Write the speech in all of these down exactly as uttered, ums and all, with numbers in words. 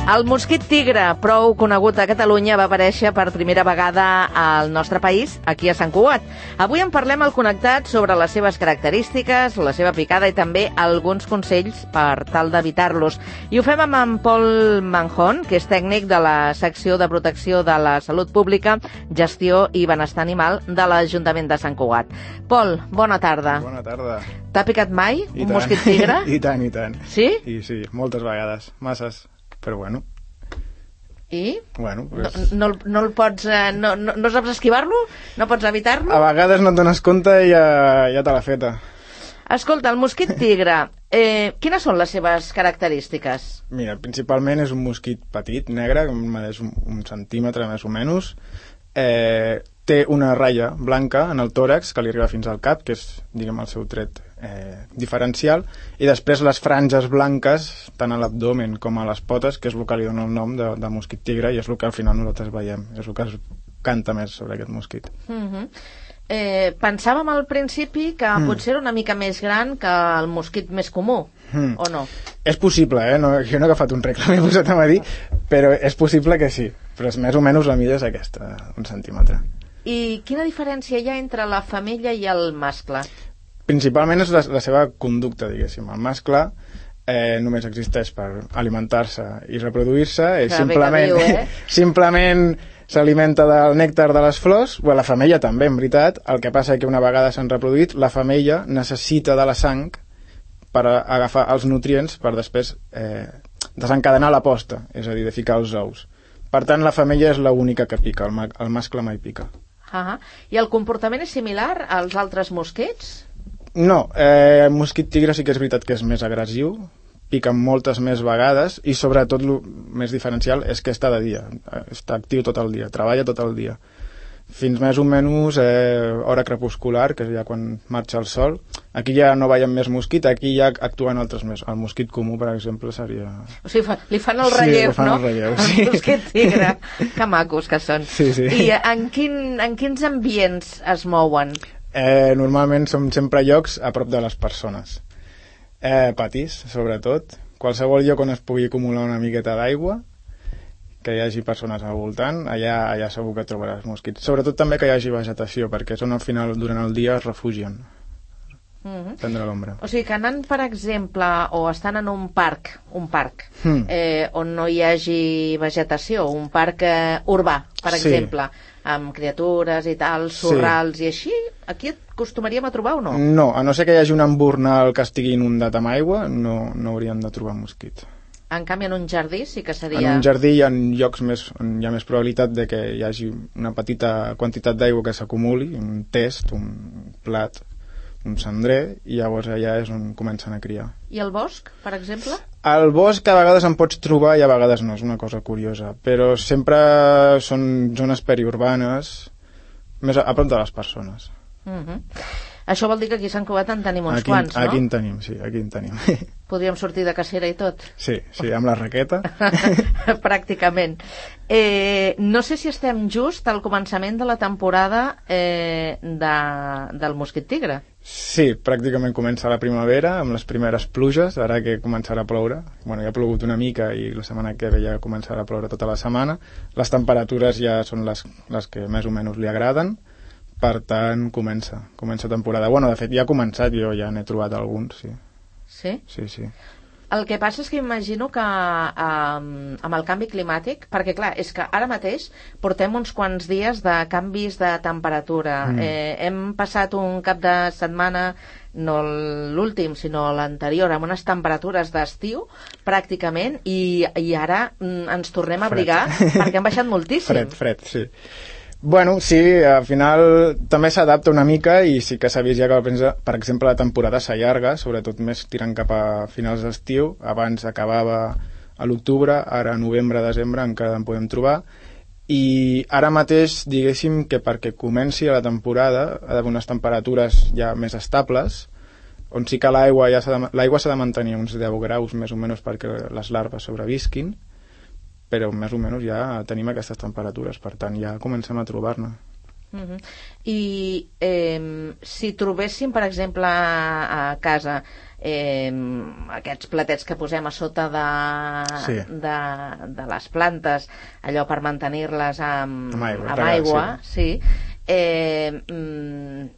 El mosquit tigre, prou conegut a Catalunya, va aparèixer per primera vegada al nostre país, aquí a Sant Cugat. Avui en parlem al Connectat sobre les seves característiques, la seva picada i també alguns consells per tal d'evitar-los. I ho fem amb en Pol Manjón, que és tècnic de la secció de protecció de la salut pública, gestió i benestar animal de l'Ajuntament de Sant Cugat. Pol, bona tarda. Bona tarda. T'ha picat mai I un tant. mosquit tigre? I tant, i tant. Sí? I sí, moltes vegades, masses, però bueno. I? Bueno, pues... no, no, no el pots... Eh, no, no, no saps esquivar-lo? No pots evitar-lo? A vegades no et dones compte i ja, ja te l'ha feta. Escolta, el mosquit tigre, eh, quines són les seves característiques? Mira, principalment és un mosquit petit, negre, que medeix un, un centímetre més o menys. Eh, té una ratlla blanca en el tòrax que li arriba fins al cap, que és, diguem, el seu tret eh, diferencial, i després les franges blanques, tant a l'abdomen com a les potes, que és el que li dona el nom de, de mosquit tigre, i és el que al final nosaltres veiem, és el que es canta més sobre aquest mosquit. Uh-huh. Eh, pensàvem al principi que mm. potser era una mica més gran que el mosquit més comú, mm. o no? És possible, eh? No, jo no he agafat un regle, m'he posat a dir, però és possible que sí. Però és més o menys la mida és aquesta, un centímetre. I quina diferència hi ha entre la femella i el mascle? Principalment és la, la seva conducta, diguéssim. El mascle eh, només existeix per alimentar-se i reproduir-se, i simplement, viu, eh? simplement s'alimenta del nèctar de les flors. Bueno, la femella també, en veritat. El que passa és que una vegada s'han reproduït, la femella necessita de la sang per agafar els nutrients per després eh, desencadenar la posta, és a dir, de ficar els ous. Per tant, la femella és l'única que pica, el, ma el mascle mai pica. Uh-huh. I el comportament és similar als altres mosquits? No, eh, el mosquit tigre sí que és veritat que és més agressiu, pica moltes més vegades i sobretot el més diferencial és que està de dia, està actiu tot el dia, treballa tot el dia. Fins més o menys eh, hora crepuscular, que és ja quan marxa el sol. Aquí ja no veiem més mosquit, aquí ja actuen altres més. El mosquit comú, per exemple, seria... O sigui, fa, li fan el relleu, sí, fan no? El relleu, sí. El mosquit tigre. Que macos que són. Sí, sí. I en, quin, en quins ambients es mouen? Eh, normalment som sempre llocs a prop de les persones. Eh, patis, sobretot. Qualsevol lloc on es pugui acumular una miqueta d'aigua, que hi hagi persones al voltant, allà, allà segur que trobaràs mosquits. Sobretot també que hi hagi vegetació, perquè són al final, durant el dia, es refugien. Mm-hmm. Prendre l'ombra. O sigui que anant, per exemple, o estan en un parc, un parc, mm. eh, on no hi hagi vegetació, un parc eh, urbà, per sí. exemple, amb criatures i tal, sorrals sí. i així, aquí et acostumaríem a trobar o no? No, a no ser que hi hagi un embornal que estigui inundat amb aigua, no, no hauríem de trobar mosquit. En canvi, en un jardí sí que seria... En un jardí hi ha llocs més, on hi ha més probabilitat de que hi hagi una petita quantitat d'aigua que s'acumuli, un test, un plat, un cendrer, i llavors allà és on comencen a criar. I el bosc, per exemple? Al bosc a vegades en pots trobar i a vegades no, és una cosa curiosa, però sempre són zones periurbanes, més a, a prop de les persones. Uh-huh. Això vol dir que aquí a Sant Cugat en tenim uns aquí, quants, no? Aquí en tenim, sí, aquí en tenim. Podríem sortir de cacera i tot? Sí, sí, amb la raqueta. Pràcticament. Eh, no sé si estem just al començament de la temporada eh, de, del mosquit tigre. Sí, pràcticament comença la primavera, amb les primeres pluges, ara que començarà a ploure. Bueno, ja ha plogut una mica i la setmana que ve ja començarà a ploure tota la setmana. Les temperatures ja són les, les que més o menys li agraden. Per tant, comença, comença temporada. Bueno, de fet, ja ha començat, jo ja n'he trobat alguns, sí. Sí? Sí, sí. El que passa és que imagino que um, amb el canvi climàtic, perquè clar, és que ara mateix portem uns quants dies de canvis de temperatura. Mm. Eh, hem passat un cap de setmana, no l'últim, sinó l'anterior, amb unes temperatures d'estiu, pràcticament, i, i ara mm, ens tornem a abrigar perquè han baixat moltíssim. Fred, fred, sí. Bueno, sí, al final també s'adapta una mica i sí que s'ha vist ja que, per exemple, la temporada s'allarga, sobretot més tirant cap a finals d'estiu. Abans acabava a l'octubre, ara a novembre, desembre encara en podem trobar. I ara mateix, diguéssim que perquè comenci la temporada ha d'haver unes temperatures ja més estables, on sí que l'aigua ja s'ha de, l'aigua s'ha de mantenir uns deu graus més o menys perquè les larves sobrevisquin, però més o menys ja tenim aquestes temperatures, per tant ja comencem a trobar-ne. Uh-huh. I eh, si trobéssim, per exemple, a, a casa eh, aquests platets que posem a sota de, sí. de, de les plantes, allò per mantenir-les amb, amb aigua, amb aigua sí. sí. Eh,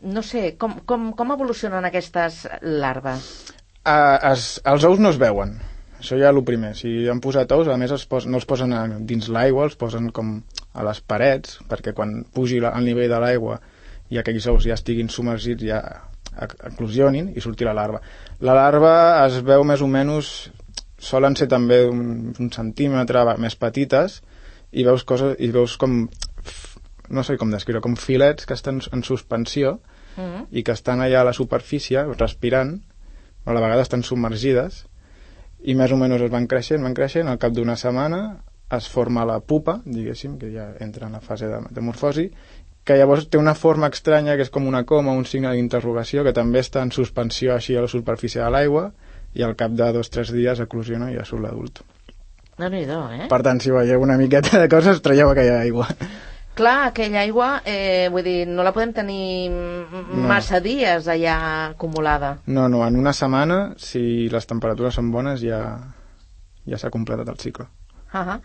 no sé, com, com, com evolucionen aquestes larves? Uh, es, els ous no es veuen, això ja és el primer. Si han posat ous, a més els pos, no els posen a, dins l'aigua, els posen com a les parets, perquè quan pugi la, el nivell de l'aigua i aquells ous ja estiguin submergits, ja eclosionin i surti la larva. La larva es veu més o menys, solen ser també un, un centímetre més petites, i veus coses, i veus com, no sé com descriure, com filets que estan en suspensió mm. i que estan allà a la superfície respirant, a la vegada estan submergides, i més o menys es van creixent, van creixent, al cap d'una setmana es forma la pupa, diguéssim, que ja entra en la fase de, de morfosi, que llavors té una forma estranya, que és com una coma, un signe d'interrogació, que també està en suspensió així a la superfície de l'aigua, i al cap de dos o tres dies eclosiona i ja surt l'adult. Déu-n'hi-do, eh? Per tant, si veieu una miqueta de coses, traieu aquella aigua. Clar, aquella aigua, eh, vull dir, no la podem tenir massa no. dies allà acumulada. No, no, en una setmana, si les temperatures són bones, ja, ja s'ha completat el cicle. Uh -huh.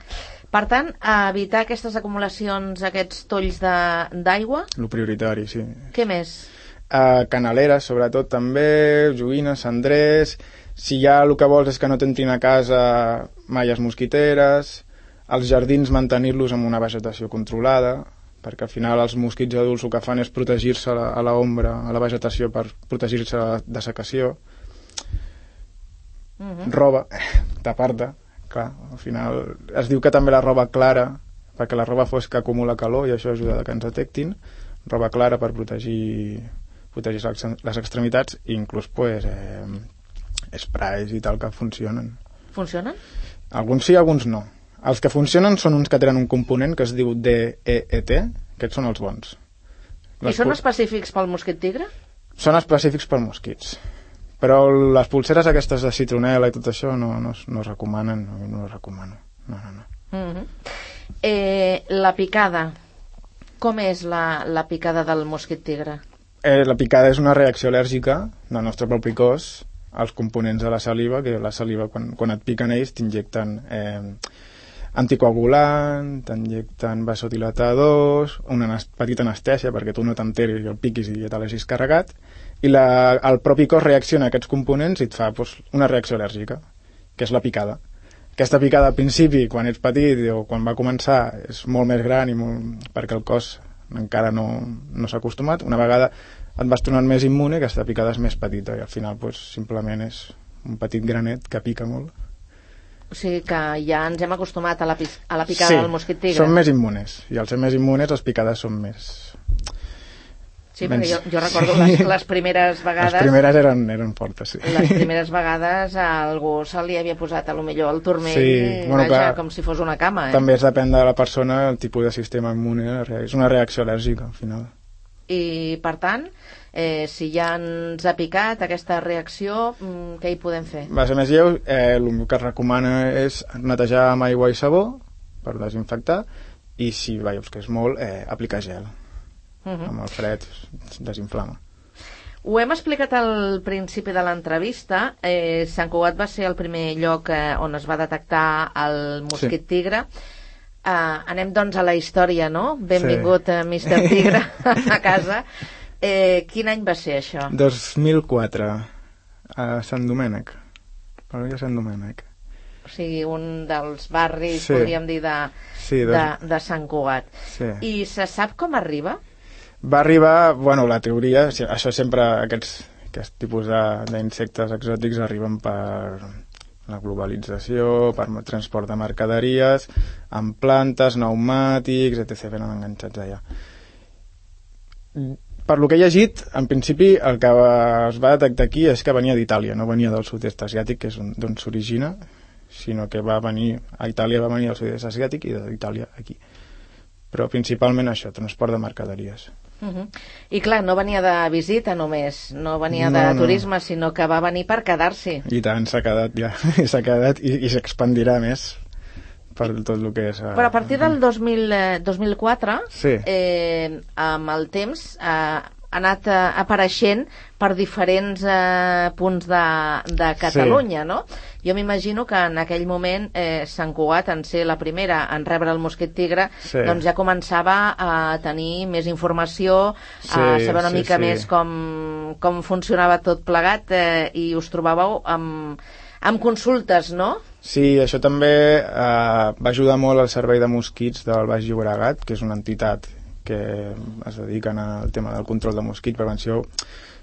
Per tant, evitar aquestes acumulacions, aquests tolls d'aigua? Lo prioritari, sí. Què més? Uh, canaleres, sobretot, també, joguines, cendrers. Si ja el que vols és que no t'entrin a casa malles mosquiteres, els jardins mantenir-los amb una vegetació controlada, perquè al final els mosquits adults el que fan és protegir-se a l'ombra, a la vegetació, per protegir-se de secació. Uh-huh. Roba, tapar-te, clar, al final es diu que també la roba clara, perquè la roba fosca acumula calor i això ajuda a que ens detectin, roba clara per protegir, protegir les extremitats, i inclús pues, eh, sprays i tal que funcionen. Funcionen? Alguns sí, alguns no. Els que funcionen són uns que tenen un component que es diu D E E T, aquests són els bons. Les I són específics pel mosquit tigre? Són específics per mosquits. Però les pulseres aquestes de citronela i tot això no, no, no es recomanen, no, no les recomano. No, no, no. Uh-huh. eh, la picada. Com és la, la picada del mosquit tigre? Eh, la picada és una reacció al·lèrgica del nostre propi cos als components de la saliva, que la saliva, quan, quan et piquen ells, t'injecten eh, anticoagulant, t'injecten vasodilatadors, una petita anestèsia perquè tu no t'enteris i el piquis i ja te l'hagis carregat, i la, el propi cos reacciona a aquests components i et fa pues, una reacció al·lèrgica, que és la picada. Aquesta picada al principi, quan ets petit o quan va començar, és molt més gran i molt, perquè el cos encara no, no s'ha acostumat. Una vegada et vas tornant més immune, aquesta picada és més petita i al final pues, simplement és un petit granet que pica molt. O sigui que ja ens hem acostumat a la, a la picada sí, del mosquit tigre. Sí, són més immunes, i al ser més immunes les picades són més... Sí, perquè jo, jo recordo les, les primeres vegades... Les primeres eren, eren fortes, sí. Les primeres vegades a algú se li havia posat a lo millor el turmell, sí, bueno, vaja, clar, com si fos una cama. Eh? També es depèn de la persona, el tipus de sistema immune, és una reacció al·lèrgica, al final. I, per tant, eh, si ja ens ha picat aquesta reacció, què hi podem fer? Va ser més lleu, eh, el que es recomana és netejar amb aigua i sabó per desinfectar, i si veus que és molt, eh, aplicar gel. Uh -huh. Amb el fred desinflama. Ho hem explicat al principi de l'entrevista. eh, Sant Cugat va ser el primer lloc eh, on es va detectar el mosquit sí. tigre. Uh, anem doncs a la història, no? Benvingut sí. uh, mister Tigre a casa. Eh, quin any va ser això? dos mil quatre, a Sant Domènec, a Sant Domènec. O sigui, un dels barris, sí. podríem dir, de, sí, dos... de, de Sant Cugat. Sí. I se sap com arriba? Va arribar, bueno, la teoria, això sempre, aquests, aquests tipus d'insectes exòtics arriben per la globalització, per transport de mercaderies, amb plantes, pneumàtics, etcètera, venen enganxats allà. Per lo que he llegit, en principi el que es va detectar aquí és que venia d'Itàlia, no venia del sud-est asiàtic, que és d'on s'origina, sinó que va venir, a Itàlia va venir del sud-est asiàtic i d'Itàlia aquí. Però principalment això, transport de mercaderies. Uh -huh. I clar, no venia de visita només, no venia de no, turisme, no. sinó que va venir per quedar-s'hi. I tant, s'ha quedat ja, s'ha quedat i, i s'expandirà més per tot el que és... Eh... Però a partir del dos mil, eh, dos mil quatre, sí. eh, amb el temps, eh, ha anat eh, apareixent per diferents eh, punts de, de Catalunya, sí. no? Jo m'imagino que en aquell moment eh, Sant Cugat, en ser la primera en rebre el mosquit tigre, sí. doncs ja començava a tenir més informació, sí, a saber una sí, mica sí. més com, com funcionava tot plegat eh, i us trobàveu amb, amb consultes, no? Sí, això també eh, va ajudar molt al Servei de Mosquits del Baix Llobregat, que és una entitat que es dediquen al tema del control de mosquits, prevenció,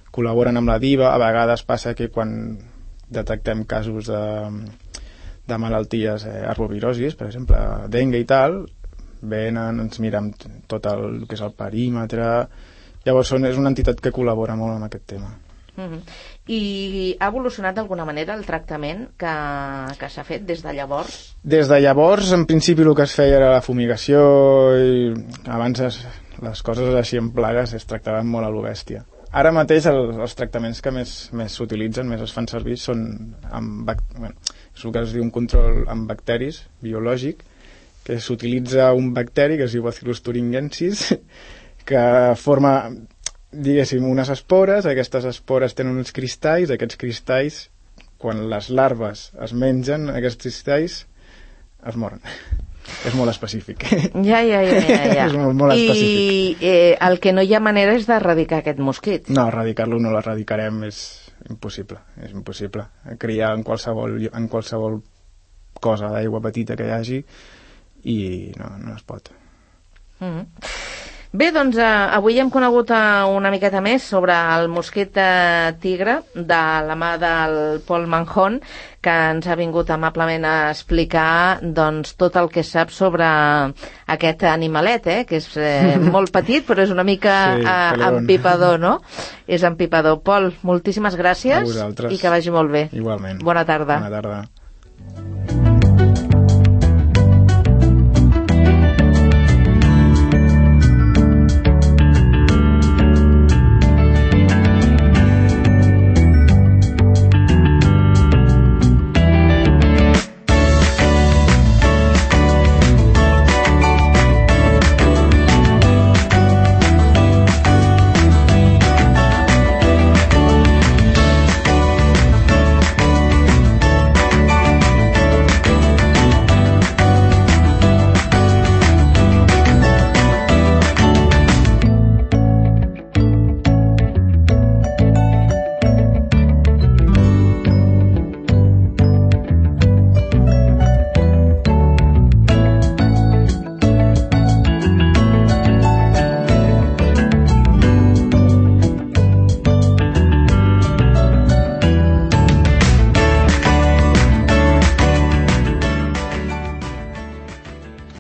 col·laboren amb la DIVA. A vegades passa que quan detectem casos de, de malalties eh, arbovirosis, per exemple, dengue i tal, venen, ens mirem tot el que és el perímetre. Llavors són, és una entitat que col·labora molt amb aquest tema. Mm-hmm. I ha evolucionat d'alguna manera el tractament que, que s'ha fet des de llavors? Des de llavors, en principi, el que es feia era la fumigació i abans es, les coses així en plagues es tractaven molt a lo bèstia. Ara mateix el, els tractaments que més, més s'utilitzen, més es fan servir, són amb, bueno, és el que es diu un control amb bacteris biològic, que s'utilitza un bacteri que es diu Bacillus thuringiensis, que forma... diguéssim, unes espores. Aquestes espores tenen uns cristalls, aquests cristalls, quan les larves es mengen, aquests cristalls es moren. És molt específic. Ja, ja, ja, ja, ja. És molt, molt I específic. eh, el que no hi ha manera és d'erradicar aquest mosquit. No, erradicar-lo no l'erradicarem, és impossible, és impossible. Criar en qualsevol, en qualsevol cosa d'aigua petita que hi hagi i no, no es pot. Mm-hmm. Bé, doncs eh, avui hem conegut eh, una miqueta més sobre el mosquit eh, tigre de la mà del Pol Manjón, que ens ha vingut amablement a explicar doncs, tot el que sap sobre aquest animalet, eh, que és eh, molt petit, però és una mica sí, eh, empipador, no? És empipador. Pol, moltíssimes gràcies i que vagi molt bé. Igualment. Bona tarda. Bona tarda.